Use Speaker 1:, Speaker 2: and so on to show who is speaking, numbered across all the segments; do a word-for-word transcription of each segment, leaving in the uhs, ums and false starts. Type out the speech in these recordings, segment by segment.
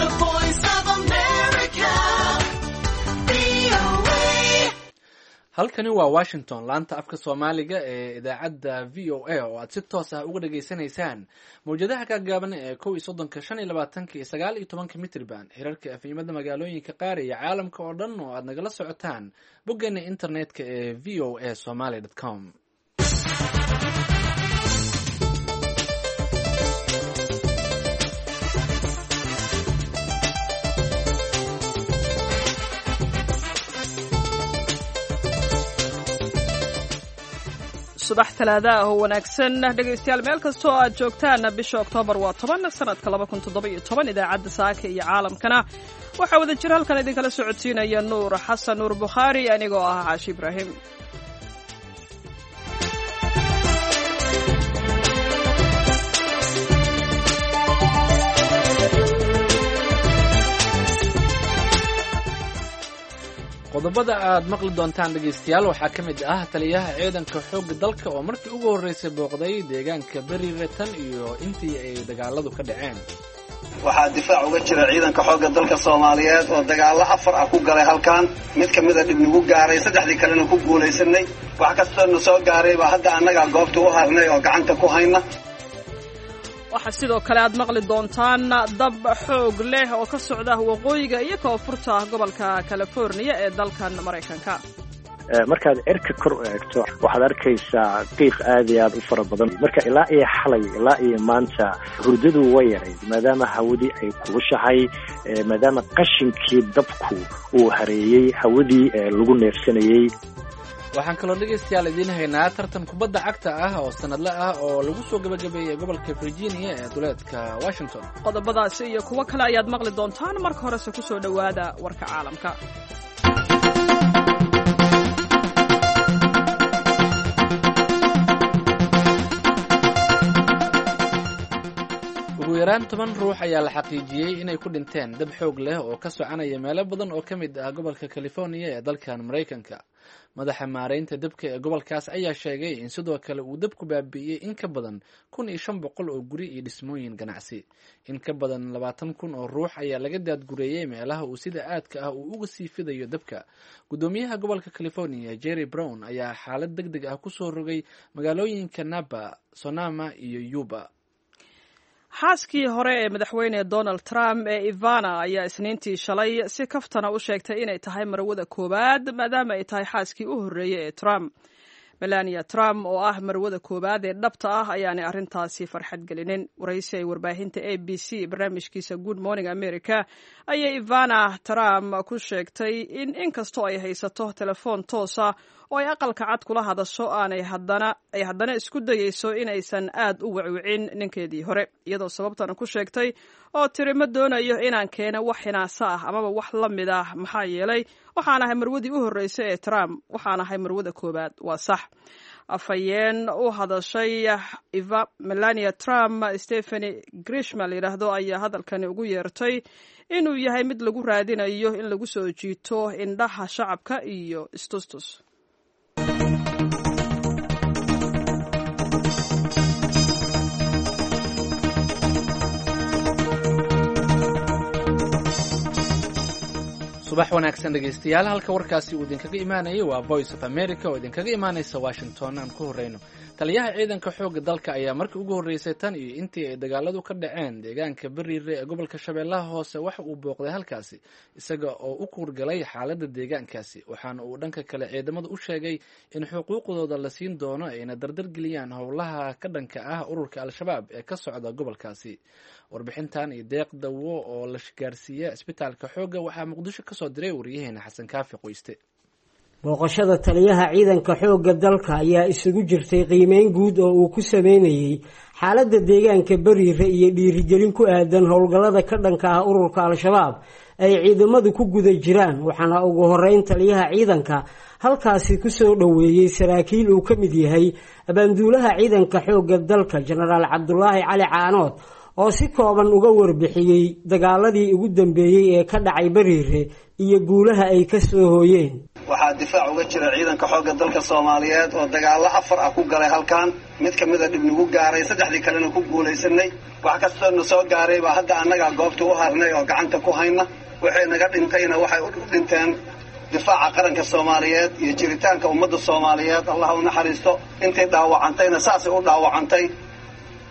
Speaker 1: The Voice of America, V O A.
Speaker 2: Halkani waa Washington, laanta afka Soomaaliga ee idaacadda V O A, oo aad si toos ah uga dhageysanaysaan mawjadaha gaagaaban ee kow iyo soddonka, shan iyo labaatanka iyo sagaal iyo tobanka mitriban, hirarka efemyada magaalooyinka qaar iyo caalamka oo dhan oo aad nagala socotaan boggeena internetka ee V O A somaly com.
Speaker 3: Subax Talaada ah oo wanaagsan, dhegaystayaal, meel kasta oo aad joogtaan. Bisha Oktoobar waa toban, sanadka laba kun toddoba iyo toban. Idaacadda saaka iyo caalamkana waxaa wada jir halkan idinkala socodsiinaya Nuur Xasan Nuur Bukhaari, anigoo ah Caashi Ibraahim.
Speaker 2: Qodobada aad maqli doontaan, dhegaystayaal, waxaa ka mid ah taliyaha ciidanka xoogga dalka oo markii ugu horreysay booqday deegaanka Beriire tan iyo intii ay dagaaladu ka dhaceen.
Speaker 4: Waxaa difaac uga jira ciidanka xoogga dalka Soomaaliyeed oo dagaallo afar ah ku galay halkan, mid ka mida dhib nagu gaaray, saddexdii kalena ku guulaysanay. Wax kastoo na soo gaaray baa hadda annagaa goobta u harnay oo gacanta ku hayna.
Speaker 3: Waxaa sidoo kale aad maqli doontaan dab xoog leh oo ka socda waqooyiga iyo koonfurta gobolka California ee dalkan Maraykanka.
Speaker 5: Markaad cirka kor u eegto, waxaad arkaysaa qiiq aad iyo aad u fara badan. Marka ilaa iyo xalay ilaa iyo maanta hurdadu way yarayd, maadaama hawadii ay kulushahay, maadaama qashinkii dabku uu hareeyey hawadii lagu neefsanayey.
Speaker 2: Waxaan kaloo, dhegaystayaal, idiin haynaa tartan kubadda cagta ah oo sanadle ah oo lagu soo gabagabeeyey gobolka Virginia ee duleedka Washington.
Speaker 3: Qodobadaasi iyo kuwo kale ayaad maqli doontaan. Marka horese ku soo dhowaada warka caalamka.
Speaker 2: Ugu yaraan toban ruux ayaa la xaqiijiyey inay ku dhinteen dab xoog leh oo ka soconaya meelo badan oo ka mid ah gobolka California ee dalkan Maraykanka. Madaxa maareynta dabka ee gobolkaas ayaa sheegay in sidoo kale uu dabku baabi'iyey in ka badan kun iyo shan boqol oo guri iyo dhismooyin ganacsi. In ka badan labaatan kun oo ruux ayaa laga daadgureeyey meelaha uu sida aadka ah uu uga sii fidayo dabka. Guddoomiyaha gobolka California, Jerry Brown, ayaa xaalad deg deg ah kusoo rogay magaalooyinka Napa, Sonoma iyo Yuba.
Speaker 3: Xaaskii hore ee madaxweyne Donald Trump ee Ivana ayaa Isniintii shalay si kaftana u sheegtay inay tahay marwada koowaad, maadaama ay tahay xaaskii u horreeyey ee Trump. Melania Trump oo ah marwada koowaad ee dhabta ah ayaanay arrintaasi farxad gelinin. Waraysi ay warbaahinta A B C barnaamijkiisa Good Morning America ayay Ivana Trump ku sheegtay in inkastoo ay haysato telefoon toosa oo ay Aqalka Cad kula hadasho, aanay haddana ay haddana isku dayeyso inaysan aad u wacwicin ninkeedii hore, iyadoo sababtana ku sheegtay oo tiri: "Ma doonayo inaan keeno wax hinaasa ah amaba wax la mid ah, maxaa yeelay waxaan ahay marwadii u horreysay ee Trump, waxaan ahay marwada koowaad, waa sax." Afhayeen u hadashay Eva Melania Trump, Stephanie Grisham la yidhaahdo, ayaa hadalkani ugu yeertay inuu yahay mid lagu raadinayo in lagu soo jiito indhaha shacabka iyo istustus.
Speaker 2: Subax wanaagsan, dhegaystayaal. Halka warkaasi uu idinkaga imaanayay waa Voice of America oo idinkaga imaanaysa Washington. Aan ku horeyno, taliyaha ciidanka xoogga dalka ayaa markii ugu horreysay tan iyo intii ay dagaaladu ka dhaceen deegaanka Beriire ee gobolka Shabeellaha Hoose waxa uu booqday halkaasi, isaga oo u kuurgalay xaaladda deegaankaasi. Waxaana uu dhanka kale ciidamada u sheegay in xuquuqdooda la siin doono, ayna dardar geliyaan howlaha ka dhanka ah ururka Al-Shabaab ee ka socda gobolkaasi. Warbixintan iyo deeq dawo oo la gaarsiiya isbitaalka xoogga waxaa Muqdisho kasoo diray wariyaheena Xasan Kaafi Qoyste.
Speaker 6: Booqashada taliyaha ciidanka xoogga dalka ayaa isugu jirtay qiimeyn guud oo uu ku sameynayey xaaladda deegaanka Beriire iyo dhiirigelin ku aadan howlgallada ka dhanka ah ururka Al-Shabaab ay ciidamadu ku guda jiraan. Waxaana ugu horeyn taliyaha ciidanka halkaasi kusoo dhoweeyey saraakiil uu ka mid yahay abaanduulaha ciidanka xoogga dalka, Jenaraal Cabdulaahi Cali Caanood, oo si kooban uga warbixiyey dagaaladii ugu dambeeyey ee ka dhacay Beriire iyo guulaha ay ka soo hooyeen.
Speaker 4: Waxaa Waxaa difaac uga jira ciidanka xoogga dalka Soomaaliyeed oo dagaallo afar ah ku galay halkan, mid ka mid a dhib nagu gaaray, saddexdii kalena ku guulaysanay. Wax kastoo na soo gaaray baa hadda annagaa goobta u harnay oo gacanta ku hayna. Waxay naga dhintayna waxay u dhinteen difaaca qaranka Soomaaliyeed iyo jiritaanka ummadda Soomaaliyeed. Allah u naxariisto. Intay dhaawacantayna saasay u dhaawacantay,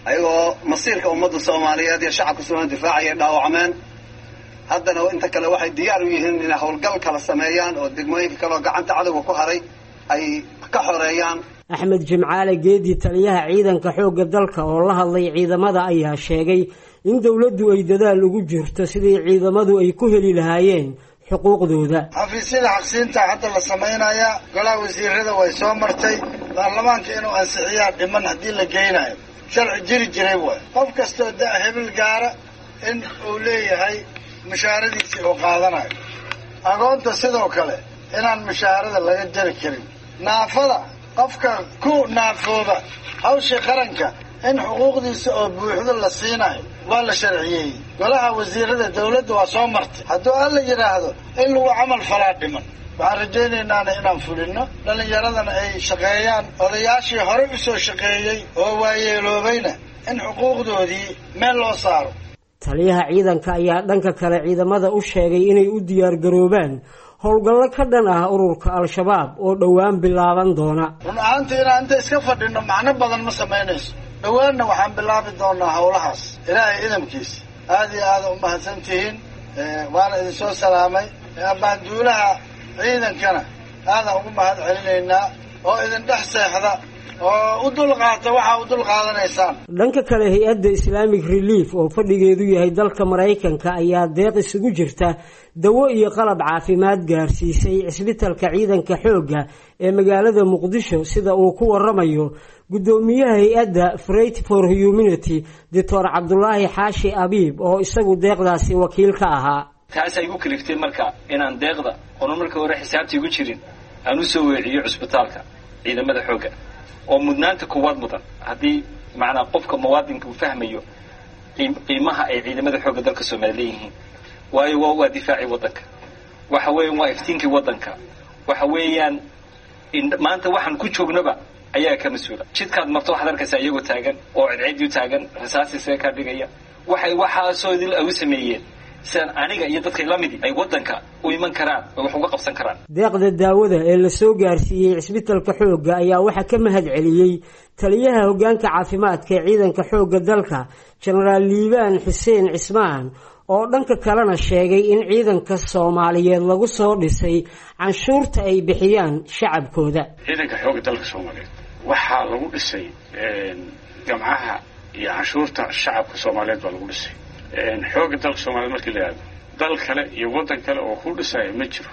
Speaker 4: ayagoo masiirka ummadda Soomaaliyeed iyo shacabka Soomaaliyeed difaacayay dhaawacmeen. Haddana inta kale waxay diyaar u yihiin inay howlgal kala sameeyaan oo degmooyinka kale oo gacanta cadowga ku haray ay ka xoreeyaan.
Speaker 6: Axmed Jimcaale Geedi, taliyaha ciidanka xoogga dalka oo la hadlay ciidamada, ayaa sheegay in dowladdu ay dadaal ugu jirto sidii ciidamadu ay ku heli lahaayeen xuquuqdooda.
Speaker 7: Xafiisyada xaqsiinta hadda la samaynayaa, golaha wasiirada way soo martay, baarlamaanka inuu ansixiyaa dhiman haddii la geynayo. Sharci jiri jiray waay, qof kastoo da hebel gaara in uu leeyahay mushaaradiisii uu qaadanayo. Agoonta sidoo kale inaan mushaarada laga jari karin. Naafada, qofka ku naafooba hawshii qaranka in xuquuqdiisa oo buuxdo la siinayo waa la sharciyeeyey. Golaha wasiirada dawladda waa soo martay, hadduu alla yidhaahdo in lagu camal falaa dhiman. Waxaan rajaynaynaan inaan fulino, dhallinyaradana ay shaqeeyaan, odayaashii horey u soo shaqeeyey oo waayeeloobayna in xuquuqdoodii meel loo saaro.
Speaker 6: Taliyaha ciidanka ayaa dhanka kale ciidamada u sheegay inay u diyaargaroobaan howlgallo ka dhan ah ururka Al-Shabaab oo dhowaan bilaaban doona.
Speaker 7: Run ahaantii inaan inta iska fadhino macno badan ma samaynayso. Dhowaanna waxaan bilaabi doonaa howlahaas ilaahay idamkiisa. Aada iyo aada u mahadsan tihiin, waana idinsoo salaamay. Ambaanduulaha ciidankana aadaan ugu mahad celinaynaa oo idin dhex seexda oo u dulqaata waxaa u dulqaadanaysaan.
Speaker 6: Dhanka kale, hay-adda Islamic Relief oo fadhigeedu yahay dalka Maraykanka ayaa deeq isugu jirta dawo iyo qalab caafimaad gaarsiisay cisbitalka ciidanka xoogga ee magaalada Muqdisho, sida uu ku waramayo guddoomiyaha hay-adda Freight for Humanity, Doctor Cabdulaahi Xaashi Abiib, oo isagu deeqdaasi wakiil ka ahaa.
Speaker 8: Taas ay igu kaliftay marka inaan deeqda oona marka hore xisaabta igu jirin aan usoo weeciyo cusbitaalka ciidamada xoogga oo mudnaanta koowaad mudan. Haddii macnaa qofka muwaadinka uu fahmayo qiimaha ay ciidamada xoogga dalka Soomaaliya leeyihiin, waayo waa waa difaacii waddanka, waxa weeyaan waa iftiinkii waddanka, waxa weeyaan maanta waxaan ku joognaba ayaa ka mas-uula. Jidkaad marto waxaad arkaysaa iyagoo taagan oo cidcidiu taagan, rasaasisaga kaa dhigaya. Waxay waxaasoo idil ay u sameeyeen sidaan aniga iyo dadkay la midi ay waddanka u iman karaan oo wax uga qabsan karaan.
Speaker 6: Deeqda daawada ee la soo gaarsiiyey cisbitalka xoogga ayaa waxaa ka mahad celiyey taliyaha hoggaanka caafimaadka ee ciidanka xoogga dalka, Jenaraal Liibaan Xuseen Cismaan, oo dhanka kalena sheegay in ciidanka Soomaaliyeed lagu soo dhisay canshuurta ay bixiyaan shacabkooda.
Speaker 9: Ciidanka xoogga dalka Soomaaliyeed waxaa lagu dhisay gamcaha iyo canshuurta shacabka Soomaaliyeed baa lagu dhisay. Xoogga dalka Soomaaliyeed markii la yidhahdo, dal kale iyo waddan kale oo ku dhisaya ma jiro.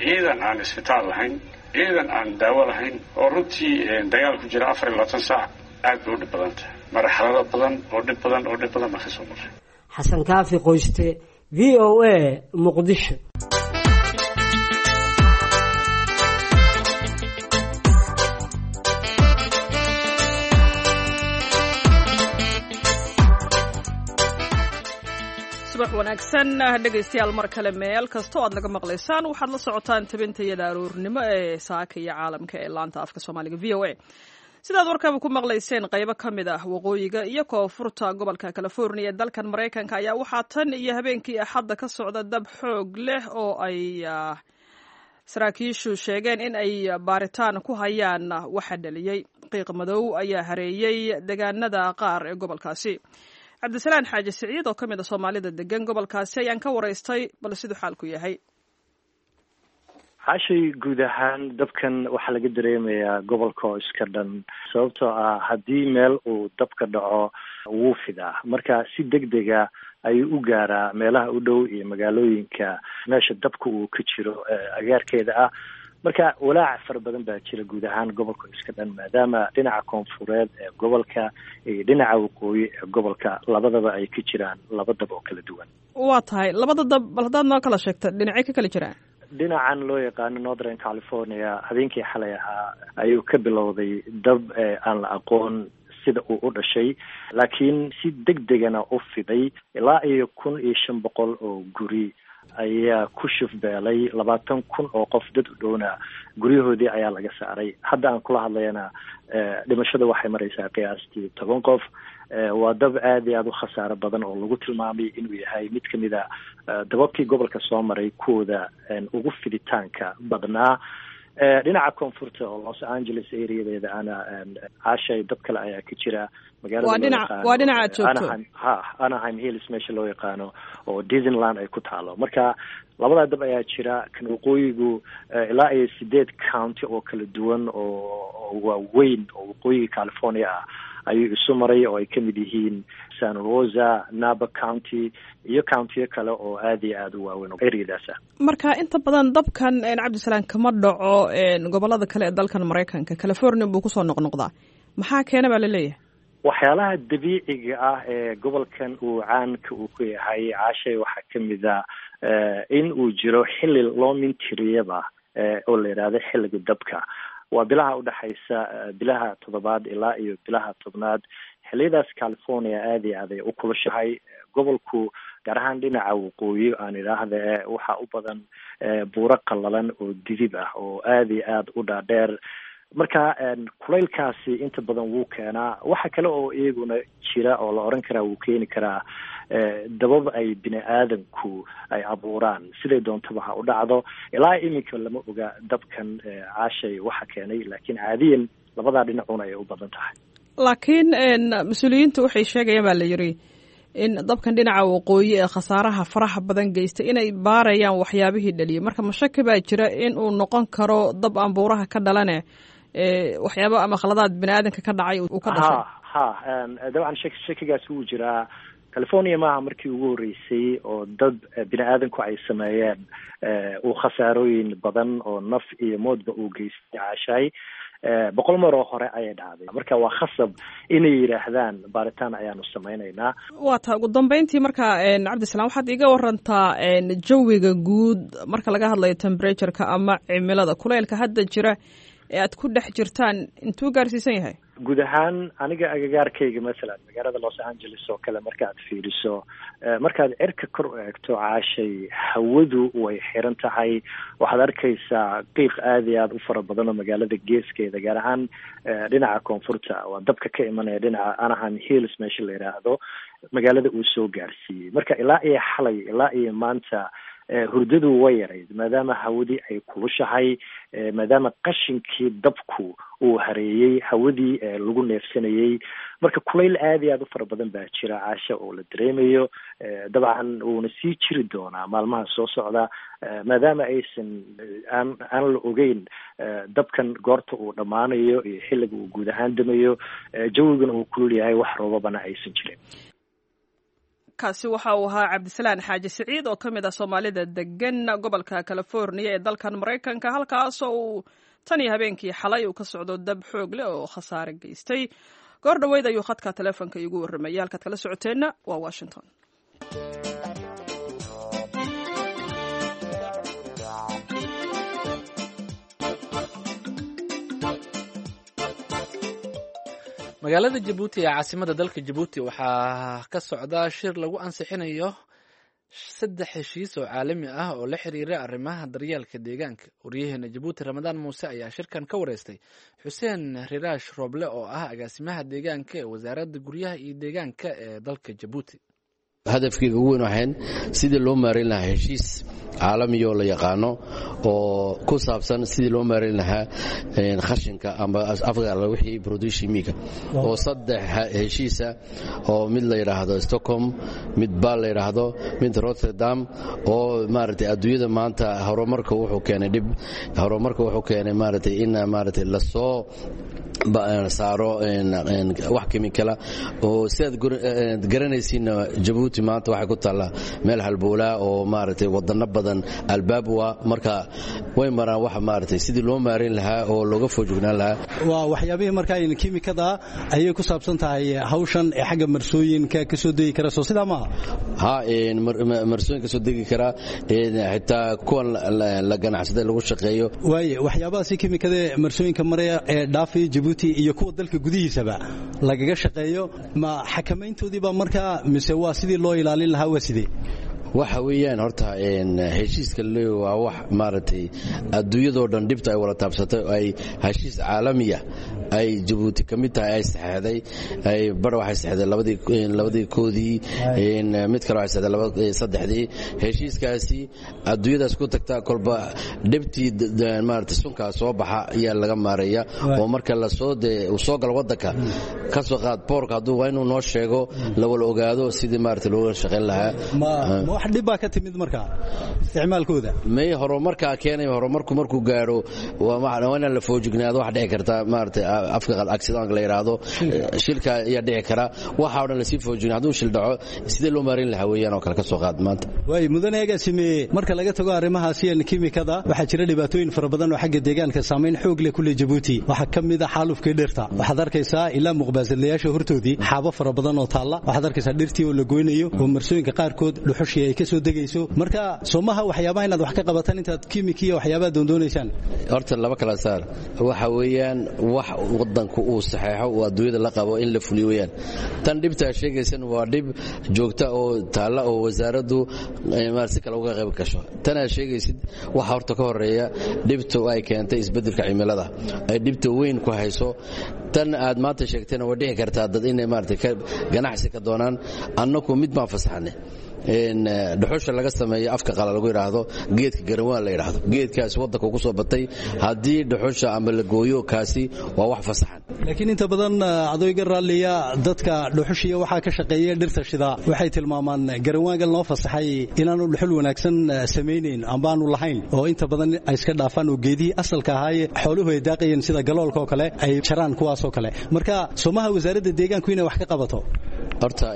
Speaker 9: Ciidan aan isbitaal lahayn, ciidan aan daawo lahayn, oo runtii dagaal ku jira afar iyo labaatan saac, aad bay u dhib badan tahay. Marxalado badan oo dhib badan oo dhib badan baan ka soo marray.
Speaker 6: Xasan Kaafi Qoyste, V O A, Muqdisho.
Speaker 3: Subax wanaagsan dhegaystayaal, mar kale meel kasta oo aad naga maqlaysaan, waxaad la socotaan tabintayada aroornimo ee saaka iyo caalamka ee laanta afka Soomaaliga V O A. Sidaad warkaba ku maqlayseen, qaybo ka mid ah waqooyiga iyo koonfurta gobolka California ee dalkan Maraykanka ayaa waxaa tan iyo habeenkii Axadda ka socda dab xoog leh oo ay saraakiishu sheegeen in ay baaritaan ku hayaan waxa dhaliyey. Qiiq madow ayaa hareeyey deegaanada qaar ee gobolkaasi. Cabdisalaan Xaaji Siciid oo ka mid a Soomaalida degan gobolkaasi ayaan ka waraystay bal siduu xaalku yahay.
Speaker 5: Xaashay, guud ahaan dabkan waxaa laga dareemayaa gobolka oo iska dhan, sababtoo ah haddii meel uu dabka dhaco wuu fidaa, marka si deg dega ayuu u gaaraa meelaha u dhow iyo magaalooyinka meesha dabka uu ka jiro agaarkeeda ah. Marka walaac fara badan baa jira guud ahaan gobolka iska dhan, maadaama dhinaca koonfureed ee gobolka iyo dhinaca waqooyi ee gobolka labadaba ay ka jiraan laba dab oo kala duwan.
Speaker 3: Waa tahay, labada dab bal haddaad noo kala sheegta dhinacay ka kala jiraan.
Speaker 5: Dhinacan loo yaqaano Northern California habeenkii xalay ahaa ayuu ka bilowday dab aan la aqoon sida uu u dhashay, laakiin si deg degana u fiday. Ilaa iyo kun iyo shan boqol oo guri ayaa ku shufbeelay, labaatan kun oo qof dad u dhowna guryahoodii ayaa laga saaray. Hadda aan kula hadlayana dhimashada waxay maraysaa qiyaastii toban qof. Waa dab aada iyo aada u khasaaro badan oo lagu tilmaamay inuu yahay mid kamid a dababkii gobolka soo maray kuwooda ugu fiditaanka badnaa. Dhinaca koonfurta oo Los Angeles areadeeda ana, Caashay, dab kale ayaa ka jira.
Speaker 3: Magaalada waa dhinaca aad joogto.
Speaker 5: Ha, Anaheim Hills meesha loo yaqaano oo Disneyland ay ku taalo. Marka labadaa dab ayaa jira. Kan waqooyigu ilaa iyo sideed county oo kala duwan oo waaweyn oo waqooyiga California ah ayuu isu maray, oo ay kamid yihiin San Rosa, Napa County iyo countiyo kale oo aada iyo aada u waaweyn oo areadaas ah.
Speaker 3: Marka inta badan dabkan, Cabdisalaam, kama dhaco gobolada kale ee dalkan Maraykanka, California buu kusoo noqnoqdaa. Maxaa keena baa laleeyahay?
Speaker 5: Waxyaalaha dabiiciga ah ee gobolkan uu caanka uu ku yahay, Caashay, waxaa kamid a in uu jiro xilli loo mintiriyaba oo la yidhaahdo xilliga dabka. Waa bilaha udhexaysa bilaha toddobaad ilaa iyo bilaha tobnaad. Xilliyadaas California aada iyo aad ay u kulushahay. Gobolku, gaar ahaan dhinaca waqooyi aan idhaahda, waxaa u badan buuro qallalan oo didib ah oo aada iyo aada u dhaadheer. Marka kulaylkaasi inta badan wuu keenaa. Waxa kale oo iyaguna jira oo la oran karaa wuu keeni karaa dabab ay bini aadamku ay abuuraan, siday doontaba ha u dhacdo. Ilaa iminka lama oga dabkan, Caashay, waxa keenay, laakiin caadiyan labadaa dhinacuna ay u badan tahay.
Speaker 3: Laakiin mas-uuliyiinta waxay sheegayaan, baa la yiri, in dabkan dhinaca waqooyi ee khasaaraha faraha badan geystay inay baarayaan waxyaabihii dhaliyay. Marka mashaki baa jira in uu noqon karo dab aan buuraha ka dhalane, waxyaaba ama khaladaad bini aadamka ka dhacay uu ka dhashay?
Speaker 5: Ha, dabcan shak shakigaas wuu jiraa. California maaha markii ugu horreysay oo dad bini aadanku ay sameeyeen uu khasaarooyin badan oo naf iyo moodba uu geystay, Caashay. Boqol mar oo hore ayay dhacday. Marka waa khasab inay yidhaahdaan baaritaan ayaanu samaynaynaa.
Speaker 3: Waa taa. Ugu dambeyntii marka, Cabdisalaam, waxaad iiga warantaa jawiga guud marka laga hadlayo temperatureka ama cimilada kuleylka hadda jira ee aad ku dhex jirtaan, intuu gaarsiisan yahay?
Speaker 5: Guud ahaan aniga agagaarkayga, masalan magaalada Los Angeles oo kale, markaad fiiriso, markaad cirka kor u eegto, Caashay, hawadu way xiran tahay. Waxaad arkaysaa qiiq aada iyo aada u fara badan oo magaalada geeskeeda, gaar ahaan dhinaca koonfurta, waa dabka ka imanaya dhinaca Anaheim Hills meesha la yidhaahdo, magaalada uu soo gaarsiiyey. Marka ilaa iyo xalay ilaa iyo maanta hurdadu way yarayd, maadaama hawadii ay kulushahay, maadaama qashinkii dabku uu hareeyey hawadii lagu neefsanayey. Marka kulayl aada iyo aada u fara badan baa jira, Caasha, oo la dareemayo. Dabcan wuuna sii jiri doonaa maalmaha soo socda, maadaama aysan aan aan la ogeyn dabkan goorta uu dhammaanayo iyo xilliga uu guud ahaan damayo, jawiguna uu kulul yahay, wax roobabana aysan jirin.
Speaker 3: Kaasi waxa uu ahaa Cabdisalaan Xaaji Siciid oo ka mid ah Soomaalida degan gobolka California ee dalkan Maraykanka, halkaasoo uu tan iyo habeenkii xalay uu ka socdo dab xoog leh oo khasaare geystay. Goor dhoweyd ayuu khadka teleefonka iigu warramayay. Halkaad kala socoteenna waa Washington.
Speaker 2: Magaalada Jabuuti ee caasimada dalka Jabuuti waxaa ka socda shir lagu ansixinayo saddex heshiis oo caalami ah oo la xiriira arrimaha daryeelka deegaanka. Waryaheena Jabuuti, Ramadaan Muuse, ayaa shirkan ka wareystay Xuseen Riraash Rooble oo ah agaasimaha deegaanka ee wasaaradda guryaha iyo deegaanka ee dalka Jabuuti.
Speaker 10: Hadafkeyga ugu weyn waxayn sidii loo maareyn lahaa heshiis caalamiyo la yaqaano oo ku saabsan sidii loo maareyn lahaa khashinka ama afka wixii produshimiga, oo saddex heshiisa oo mid la yidhaahdo Stockholm, mid Baal la yidhaahdo, mid Rotterdam, oo maaragtay adduunyada maanta horumarka wuxuu keenay dhib, horumarka wuxuu keenay maaragtay in maaragtay lasoo saaro wax kimikala oo sidaad garanaysiinna Jabuuti maanta waxay ku taallaa meel halboolaa oo maaragtay wadano badan albaab waa marka Way maraan wax maaragtay sidii loo maareyn lahaa oo looga foojignaan lahaa.
Speaker 11: Waa waxyaabihii markaa kiimikada ayay ku saabsan tahay hawshan ee xagga marsooyinka ka soo degi kara, soo sidaa maaha?
Speaker 10: Ha, marsooyin ka soo degi kara, xitaa kuwan la ganacsada lagu shaqeeyo.
Speaker 11: Waaye waxyaabahaasi kiimikada ee marsooyinka maraya ee dhaafaya Jabuuti iyo kuwa dalka gudihiisaba lagaga shaqeeyo, ma xakamayntoodii baa markaa mise waa sidii loo ilaalin lahaa, waa sidee?
Speaker 10: Waxa weeyaan horta heshiiska le waa wax maaragtay adduunyadoo dhan dhibta ay wada taabsatay oo ay heshiis caalamiya ay Jabuuti ka mid tahay ay saxeexday. Ay bar waxay saxeexday labadii labadii koodii, mid kale waxay saxeexday laba saddexdii. Heshiiskaasi adduunyadaas ku tagtaa kolba dhibtii maaragtay sunkaa soo baxa ayaa laga maareeya, oo marka lasoo dee uu soo galo waddanka ka soo qaad boorka hadduu waa inuu noo sheego la wala ogaado sidii maaragtay looga shaqayn lahaa.
Speaker 11: Wax dhib baa ka timid markaa isticmaalkooda?
Speaker 10: May, horumarkaa keenay. Horumarku markuu gaadho waa inaan la foojignaado. Wax dhici karta maaragtay afka accident la yidhaahdo, shilka ayaa dhici kara. Waxa oo dhan lasii foojigna hadduu shil dhaco sidee loo maareyn lahaa weeyaan oo kale ka soo qaad maanta.
Speaker 11: Waay mudane agaasime, marka laga tago arrimahaasi kiimikada, waxaa jira dhibaatooyin fara badan oo xagga deegaanka saamayn xoog leh ku leh Jabuuti. Waxaa ka mid ah xaalufkii dhirta. Waxaad arkaysaa ilaa muqbaasadlayaasha hortoodii xaabo fara badan oo taalla. Waxaad arkaysaa dhirtii oo la goynayo oo marsooyinka qaarkood dhuxushii ay ka soo degayso. Marka soomaha waxyaabaha inaad wax ka qabataan intaad kiimiki iyo waxyaabaha doondoonaysaan?
Speaker 10: Horta laba kala saar. Waxa weeyaan wax wadanku uu saxeexo oo adduunyada la qabo in la fuliyo weeyaan. Tan dhibtaa sheegaysan waa dhib joogta oo taalla oo wasaaraddu si kale uga qayb gasho. Tanaa sheegaysid waxa horta ka horeeya dhibta ay keentay isbeddelka cimilada ay dhibta weyn ku hayso. Tan aad maanta sheegtayna way dhici kartaa dad inay maaragtay ganacsi ka doonaan. Annaku mid baan fasaxnay, dhuxusha laga sameeyo afka qala lagu yidhaahdo geedka garawaan la yidhaahdo, geedkaasi waddanka ugu soo batay. Haddii dhuxusha ama la gooyo kaasi waa wax fasaxan.
Speaker 11: Laakiin inta badan adooyga raalliya dadka dhuxushiya waxaa ka shaqeeya dhirta shidaa waxay tilmaamaan garawaangan loo fasaxay inaanu dhuxul wanaagsan samaynayn amba aanu lahayn, oo inta badan ay iska dhaafaan oo geedihii asalka ahaaye xooluhu ay daaqayeen sida galoolka oo kale ay jaraan kuwaasoo kale. Marka soomaha wasaaradda deegaanku inay wax ka qabato?
Speaker 10: Horta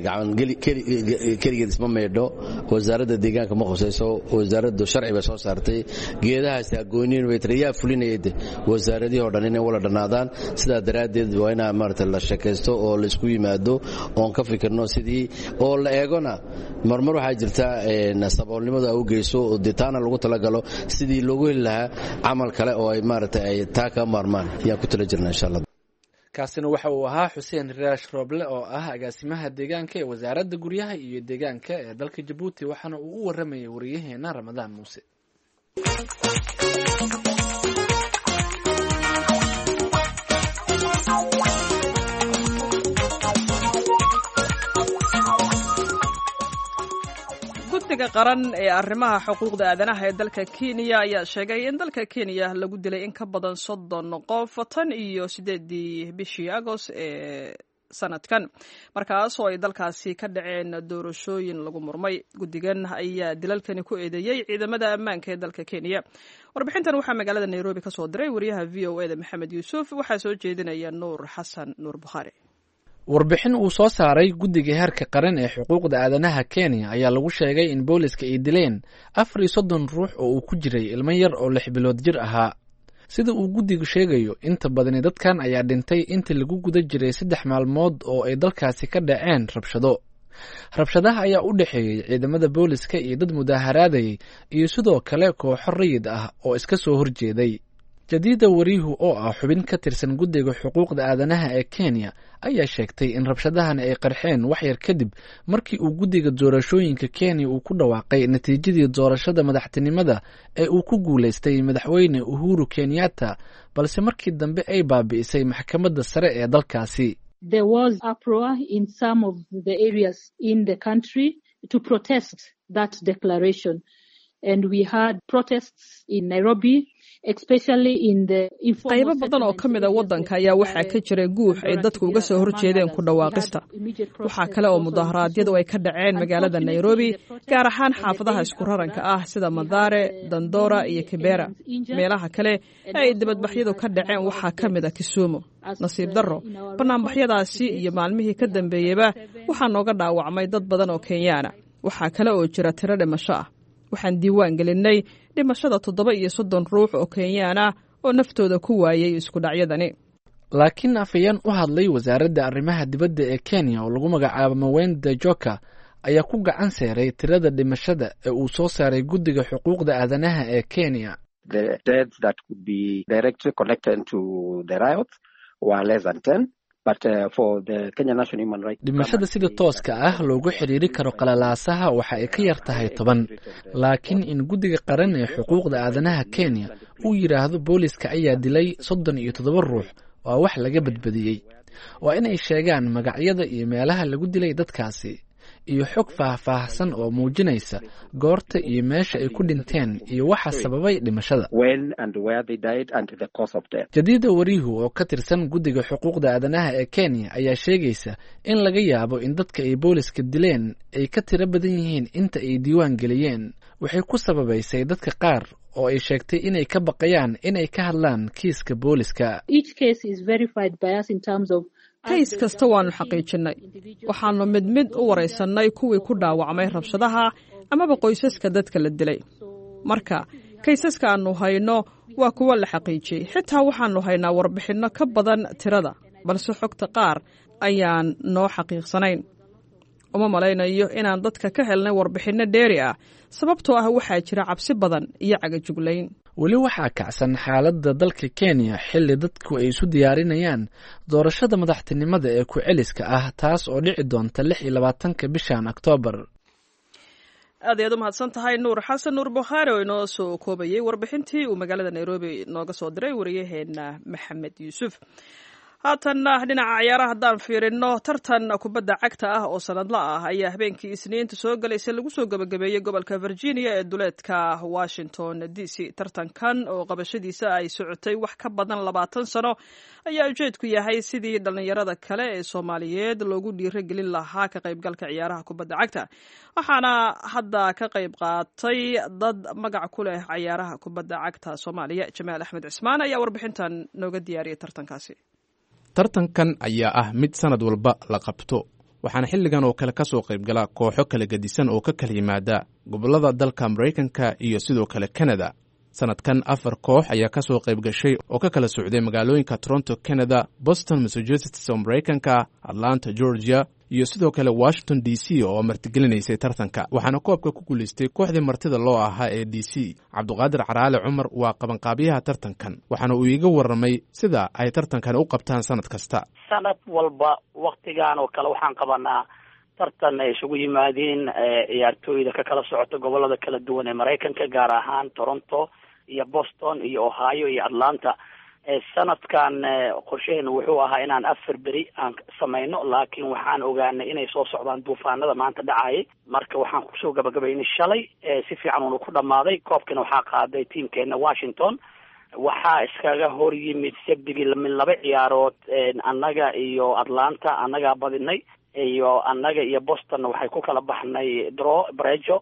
Speaker 10: gacan keligeed isma maydho. Wasaaradda deegaanka ma khusayso. Wasaaraddu sharci bay soo saartay, geedahaasi agooniin bay tiri yaa fulinayay wasaaradihii oo dhan inay wala dhannaadaan. Sidaa daraaddeed waa inaa maaragtay la sheekaysto oo la isku yimaado oon ka fikirno sidii oo la eegona. Marmar waxaa jirta saboolnimadu ay u geyso oo dee taana lagu talagalo sidii loogu heli lahaa camal kale oo ay maaragtay ay taa ka maarmaan ayaan ku tala jirna insha Allah.
Speaker 2: Kaasina waxa uu ahaa Xuseen Raash Rooble oo ah agaasimaha deegaanka ee wasaaradda guryaha iyo deegaanka ee dalka Jabuuti, waxaana uu u waramayay wariyaheena Ramadaan Muuse.
Speaker 3: Guddiga qaran ee arrimaha xuquuqda aadanaha ee dalka Kenya ayaa sheegay in dalka Kenya lagu dilay in ka badan soddon qof tan iyo sideedii bishii Agost ee sanadkan, markaas oo ay dalkaasi ka dhaceen doorashooyin lagu murmay. Guddigan ayaa dilalkani ku eedeeyey ciidamada ammaanka ee dalka Kenya. Warbixintan waxaa magaalada Nairobi ka soo diray wariyaha V O E da Maxamed Yuusuf, waxaa soo jeedinaya Nuur Xasan Nuur Bukhaari.
Speaker 2: Warbixin uu soo saaray guddiga heerka qaran ee xuquuqda aadanaha Kenya ayaa lagu sheegay in booliska ay dileen afar iyo soddon ruux oo uu ku jiray ilmo yar oo lix bilood jir ahaa. Sida uu guddigu sheegayo, inta badani dadkan ayaa dhintay intii lagu guda jiray saddex maalmood oo ay dalkaasi ka dhaceen rabshado. Rabshadaha ayaa u dhexeeyey ciidamada booliska iyo dad mudaaharaadayay iyo sidoo kale kooxo rayid ah oo iska soo horjeeday. Jadiida Wariihu oo ah xubin ka tirsan guddiga xuquuqda aadanaha ee Kenya ayaa sheegtay in rabshadahan ay qarxeen wax yar kadib markii uu guddiga doorashooyinka Kenya uu ku dhawaaqay natiijadii doorashada madaxtinimada ee uu ku guulaystay madaxweyne Uhuru Kenyatta, balse markii dambe ay baabi'isay maxkamadda sare ee dalkaasi.
Speaker 12: There was uproar in some of the areas in the country to protest that declaration. And we had protests in Nairobi, especially in the
Speaker 3: Qaybo badan oo ka mid a waddanka ayaa waxaa ka jiray guux ay dadku uga soo horjeedeen ku dhawaaqista. Waxaa kale oo mudaharaadyadu ay ka dhaceen magaalada Nairobi, gaar ahaan xaafadaha isku raranka ah sida Madare, Dandora iyo Kibera. Meelaha kale ee ay dibadbaxyadu ka dhaceen waxaa ka mid a Kisumu. Nasiib darro, banaanbaxyadaasi iyo maalmihii ka dambeeyeyba waxaa nooga dhaawacmay dad badan oo Kenyaana. Waxaa kale oo jira tiro dhimasho ah. Waxaan diiwaan gelinnay dhimashada toddoba iyo soddon ruux oo Kenyaan ah oo naftooda ku waayay isku dhacyadani.
Speaker 2: Laakiin afhayeen u hadlay wasaaradda arrimaha dibadda ee Kenya oo lagu magacaabo Mawenda Joka ayaa ku gacan seeray tirada dhimashada ee uu soo saaray guddiga xuquuqda aadanaha ee Kenya.
Speaker 13: The deaths that could be directly connected to the riots were less than ten. But, uh, for the Kenya National Human Rights
Speaker 2: Dhimashada sida tooska ah loogu xiriiri karo qalalaasaha waxa ay ka yar tahay toban, laakiin in guddiga qaran ee xuquuqda aadanaha Kenya uu yidhaahdo booliska ayaa dilay soddon iyo toddoba ruux waa wax laga badbadiyey. Waa inay sheegaan magacyada iyo meelaha lagu dilay dadkaasi iyo xog faahfaahsan oo muujinaysa goorta iyo meesha ay ku dhinteen iyo waxa sababay dhimashada. Jadiida Warihu oo ka tirsan guddiga xuquuqda aadanaha ee Kenya ayaa sheegaysa in laga yaabo in dadka ay booliska dileen ay ka tiro badan yihiin inta ay diiwaan geliyeen. Waxay ku sababaysay dadka qaar oo ay sheegtay inay ka baqayaan inay ka hadlaan kiiska booliska.
Speaker 3: Kays kasta waannu xaqiijinnay. Waxaannu mid mid u waraysannay kuwii ku dhaawacmay rabshadaha amaba qoysaska dadka la dilay. Marka kaysaska aannu hayno waa kuwo la xaqiijiyey. Xitaa waxaannu haynaa warbixinno ka badan tirada, balse xogta qaar ayaan noo xaqiiqsanayn. Uma malaynayo inaan dadka ka helnay warbixinno dheeri ah, sababtoo ah waxaa jira cabsi badan iyo cagajuglayn.
Speaker 2: Weli waxaa kacsan xaaladda dalka Kenya xilli dadku ay isu diyaarinayaan doorashada madaxtinimada ee ku-celiska ah, taas oo dhici doonta lix iyo labaatanka bishan Oktoobar.
Speaker 3: Aad ayaad u mahadsan tahay Nuur Xasan Nuur Bukhaari oo inoo soo koobayey warbixintii uu magaalada Nairobi nooga soo diray wariyaheena Maxamed Yuusuf. Haatanna dhinaca ciyaaraha haddaan fiirino, tartan kubadda cagta ah oo sanadla ah ayaa habeenkii Isniinta soo galaysay lagu soo gabagabeeyey gobolka Virginia ee duleedka Washington D C. Tartankan oo qabashadiisa ay socotay wax ka badan labaatan sano ayaa ujeedku yahay sidii dhallinyarada kale ee Soomaaliyeed loogu dhiirigelin lahaa ka qaybgalka ciyaaraha kubadda cagta. Waxaana hadda ka qayb qaatay dad magac ku leh ciyaaraha kubadda cagta Soomaaliya. Jamaal Axmed Cismaan ayaa warbixintan nooga diyaariyay tartankaasi.
Speaker 14: Tartankan ayaa ah mid sanad walba la qabto, waxaana xilligan oo kale ka soo qaybgala kooxo kala gedisan oo ka kala yimaada gobollada dalka Maraykanka iyo sidoo kale Kanada. Sanadkan afar koox ayaa ka soo qayb gashay oo ka kala socday magaalooyinka Toronto, Canada, Boston, Massachusetts oo Maraykanka, Atlanta, Georgia iyo sidoo kale Washington D C oo martigelinaysay tartanka. Waxaana koobka ku guulaystay kooxdii martida loo ahaa ee D C. Cabduqaadir Caraale Cumar waa qabanqaabiyaha tartankan, waxaana uu iiga warramay sida ay tartankan u qabtaan sanad kasta.
Speaker 15: Sanad walba waktigan oo kale waxaan qabanaa tartan ay isugu yimaadeen ciyaartooyda ka kala socota gobolada kala duwan ee Maraykanka, gaar ahaan Toronto iyo Boston iyo Ohio iyo Atlanta. Sanadkan qorshaheenu wuxuu ahaa inaan afar beri aan samayno, laakiin waxaan ogaanay inay soo socdaan duufaanada maanta dhacayay. Marka waxaan kusoo gabagabaynay shalay, si fiican uuna ku dhamaaday. Koobkina waxaa qaaday tiamkeena Washington. Waxaa iskaga hor yimid sabdigii min laba ciyaarood, annaga iyo Atlanta annagaa badinay, iyo annaga iyo Bostonna waxay ku kala baxnay draw, brejo,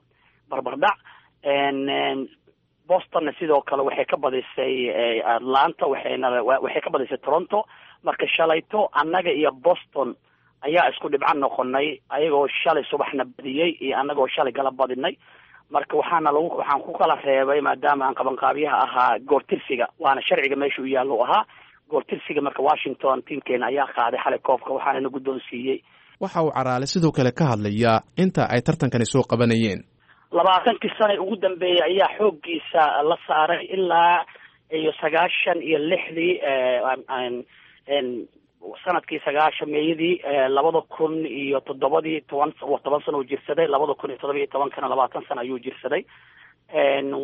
Speaker 15: barbardhac. Bostonna sidoo kale waxay ka badisay Atlanta, waxayna waxay ka badisay Toronto. Marka shalayto annaga iyo Boston ayaa isku dhibco noqonay, ayagoo shalay subaxna badiyey iyo annagoo shalay gala badinay. Marka waxaana lagu waxaan ku kala reebay, maadaama aan qabanqaabiyaha ahaa, goortirsiga, waana sharciga meesha u yaallo ahaa goortirsiga. Marka Washington tiamkeena ayaa qaaday xalay koobka, waxaana na guddoonsiiyey.
Speaker 14: Waxa uu Caraale sidoo kale ka hadlayaa inta ay tartankani soo qabanayeen.
Speaker 15: Labaatankii sana ugu dambeeyay ayaa xooggiisa la saaray ilaa iyo sagaashan iyo lixdii, sanadkii sagaashameeyadii, labada kun iyo toddobadii toban toban sano uu jirsaday, labada kun iyo toddoba iyo tobankana labaatan sano ayuu jirsaday.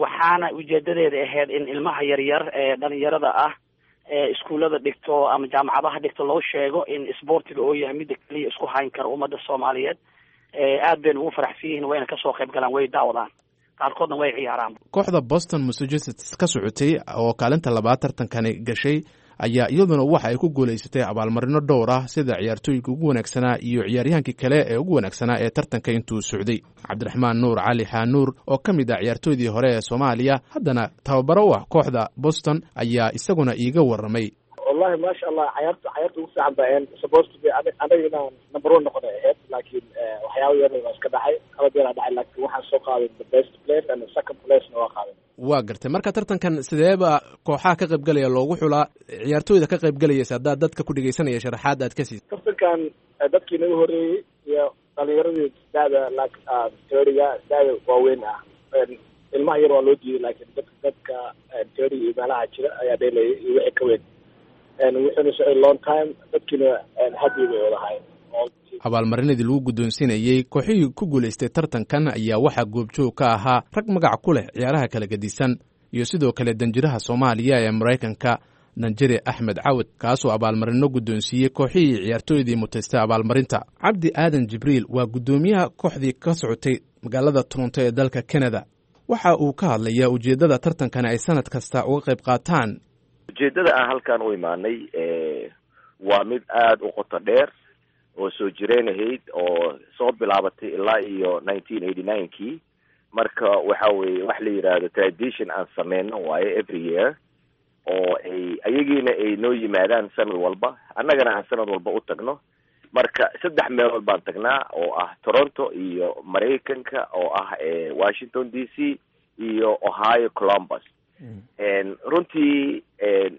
Speaker 15: Waxaana ujeedadeeda ahayd in ilmaha yaryar ee dhalinyarada ah ee iskuullada dhigto ama jaamacadaha dhigto loo sheego in isboortiga oo yahay midda keliya isku hayn kara ummadda Soomaaliyeed. Aad bayna ugu faraxsan yihiin, wayna kasoo qayb galaan, way daawadaan, qaarkoodna way ciyaaraan.
Speaker 14: Kooxda Boston Massachusetts ka socotay oo kaalinta labaad tartankani gashay ayaa iyaduna waxa ay ku guulaysatay abaalmarino dhowr ah, sida ciyaartooyinka ugu wanaagsanaa iyo ciyaaryahaankii kale ee ugu wanaagsanaa ee tartanka intuu socday. Cabdiraxmaan Nuur Cali Xaanuur oo ka mid ah ciyaartooydii hore ee Soomaaliya, haddana tababaro u ah kooxda Boston, ayaa isaguna iiga warramay.
Speaker 16: Wallahi Wallahi maasha Allah, cayaarta cayaarta ugu fiican baa ahayn. Supposed to be anaga inaan number one noqonay ahayd, laakiin waxyaaba yar waa iska dhacay, qalad yaraa dhacay, laakiin waxaan soo qaaday the best player and the second place-na waa qaaday.
Speaker 14: Waa gartay. Marka tartankan sideeba kooxaha ka qaybgalaya loogu xulaa, ciyaartooyda ka qaybgalaysa, haddaad dadka ku dhegeysanaya sharaxaad aad ka siisa?
Speaker 16: Tartankan dadkii naga horreeyey iyo dhalinyaradii da'da like thirty-ga, da'da waaweyn ah, ilmaha yar waa loo diiday, laakiin dadka dadka thirty iyo meelaha jira ayaa dheelayay iyo wixii ka weyn. Wuxuuna socday long time, dadkiina happy bay wadahayn.
Speaker 14: Abaalmarinadii lagu guddoonsiinayey kooxihii ku guulaystay tartankan ayaa waxaa goobjoog ka ahaa rag magac ku leh ciyaaraha kala gedisan iyo sidoo kale danjiraha Soomaaliya ee Maraykanka, Danjire Axmed Cawad, kaasoo abaalmarino guddoonsiiyey kooxihii ciyaartooydii mutaystay abaalmarinta. Cabdi Aadan Jibriil waa guddoomiyaha kooxdii ka socotay magaalada Toronto ee dalka Canada. Waxa uu ka hadlayaa ujeeddada tartankan ay sanad kasta uga qayb qaataan.
Speaker 17: Ujeeddada aan halkan u imaanay waa mid aada u qoto dheer oo soo jireenahayd oo soo bilaabatay ilaa iyo nineteen eighty nine kii. Marka waxa weye wax la yidhaahdo tradition aan sameyno waaye every year, oo ay ayagiina ay noo yimaadaan sanad walba, annagana aan sanad walba u tagno. Marka saddex meelood baan tagnaa, oo ah Toronto iyo Maraykanka oo ah Washington D C iyo Ohio Columbus. Runtii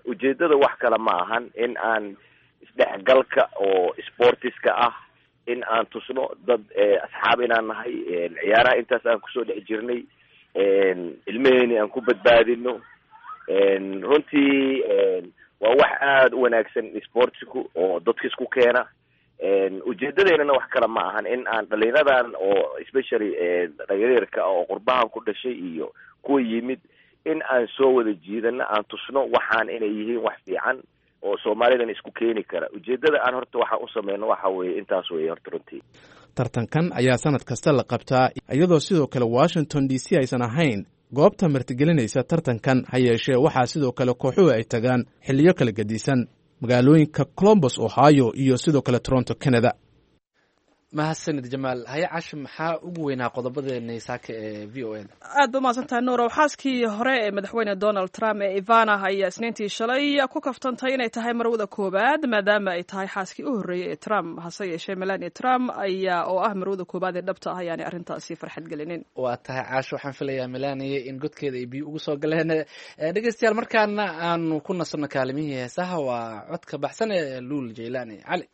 Speaker 17: ujeedada wax kale ma ahan in aan isdhexgalka oo sportiska ah in aan tusno dad asxaab inaan nahay, ciyaaraha intaas aan kusoo dhex jirnay, ilmaheeni aan ku badbaadino. Runtii waa wax aada u wanaagsan sportsku oo dadka isku keena. Ujeedadeynana wax kale ma ahan in aan dhalinyaradan oo especially dhalinyarka oo qurbahan ku dhashay iyo kuwa yimid in aan soo wada jiidano, aan tusno waxaan inay yihiin wax fiican oo Soomaalidan isku keeni kara. Ujeedada aan horta waxaan u sameyno waxa weeye intaas weeye horta runtii.
Speaker 14: Tartankan ayaa sanad kasta la qabtaa, iyadoo sidoo kale Washington D C aysan ahayn goobta martigelinaysa tartankan. Ha yeeshee waxaa sidoo kale kooxuhu ay tagaan xilliyo kala gedisan magaalooyinka Columbus, Ohio iyo sidoo kale Toronto, Canada.
Speaker 2: Mahadsanid Jamaal. Haye Cashi, maxaa ugu weynaa qodobadeena saaka ee V O A da?
Speaker 3: Aad ba umahadsantahay Nuurow. Xaaskii hore ee madaxweyne Donald Trump ee Ivana ayaa Isniintii shalay ku kaftantay inay tahay marwada koowaad, maadaama ay tahay xaaskii u horreeyey ee Trump. Hase yeeshee Melania Trump ayaa oo ah marwada koowaad ee dhabta ah ayaanay arrintaasi farxad gelinin.
Speaker 2: Waa tahay Caasho, waxaan filayaa Melania in godkeeda ay biyo ugu soo galeen. Dhegeystayaal, markaana aanu ku nasanno kaalimihii heesaha. Waa codka baxsan ee Luul Jaylaani Cali.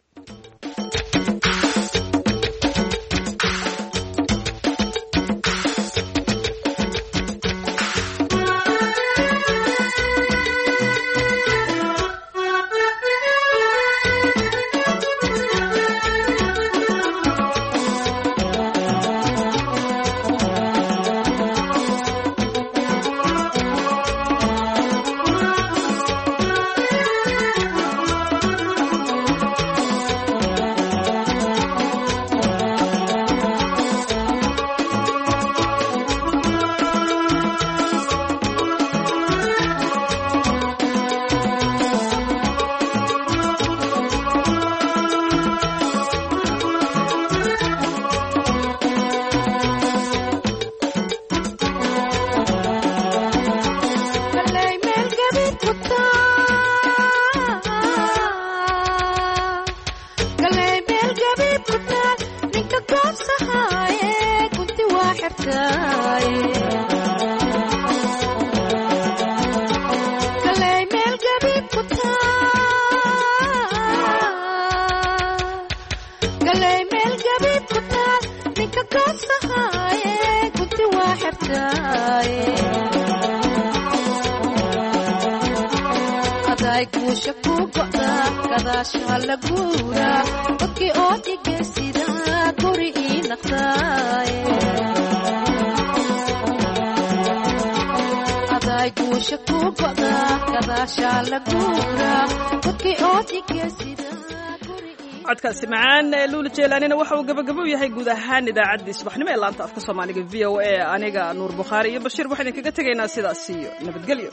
Speaker 3: Codkaasi macaan ee Luula Jeelaanina waxa uu gabagabo u yahay guud ahaan idaacaddii subaxnimo ee laanta afka Soomaaliga V O A. Aniga Nuur Bukhaari iyo Bashiir waxaan idinkaga tegaynaa sidaas iyo nabadgelyo.